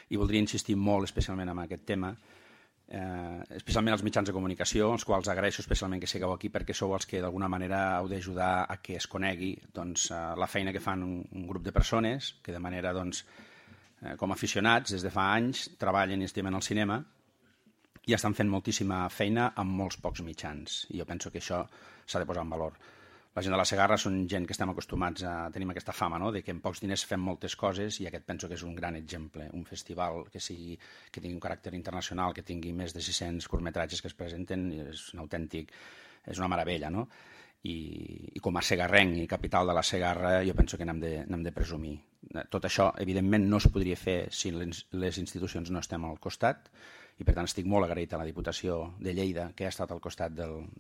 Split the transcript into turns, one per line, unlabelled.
i voldria insistir molt especialment en aquest tema, especialment els mitjans de comunicació, els quals agraeixo especialment que sigueu aquí perquè sou els que d'alguna manera heu d'ajudar a que es conegui la feina que fan un grup de persones que de manera, com a aficionats, des de fa anys, treballen i estimen el cinema i estan fent moltíssima feina amb molts pocs mitjans. I jo penso que això s'ha de posar en valor. La gent de la Segarra són gent que estem acostumats a tenir aquesta fama, no?, de que amb pocs diners fem moltes coses, i aquest penso que és un gran exemple. Un festival que tingui un caràcter internacional, que tingui més de 600 curtmetratges que es presenten, és un autèntic, és una meravella, no? I com a segarrenc i capital de la Segarra jo penso que n'hem de presumir. Tot això, evidentment, no es podria fer si les institucions no estem al costat, i per tant estic molt agraït a la Diputació de Lleida que ha estat al costat del